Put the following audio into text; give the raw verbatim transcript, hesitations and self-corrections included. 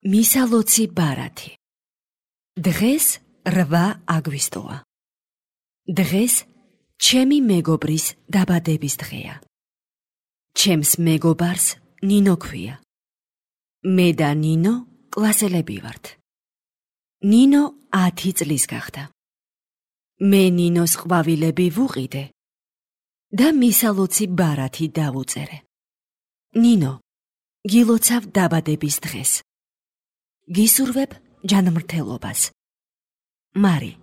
მისალოცი ბარათი. დღეს რვა აგვისტოა. დღეს ჩემი მეგობრის დაბადების დღეა. ჩემს მეგობარს ნინო ქვია. მე და ნინო კლასელები ვართ. ნინო ათი წლის გახდა. მე ნინოს ყვავილები ვუყიდე და მისალოცი ბარათი დავუწერე. ნინო, გილოცავ დაბადების დღეს. გისურვებ ჯანმრთელობას. მარი.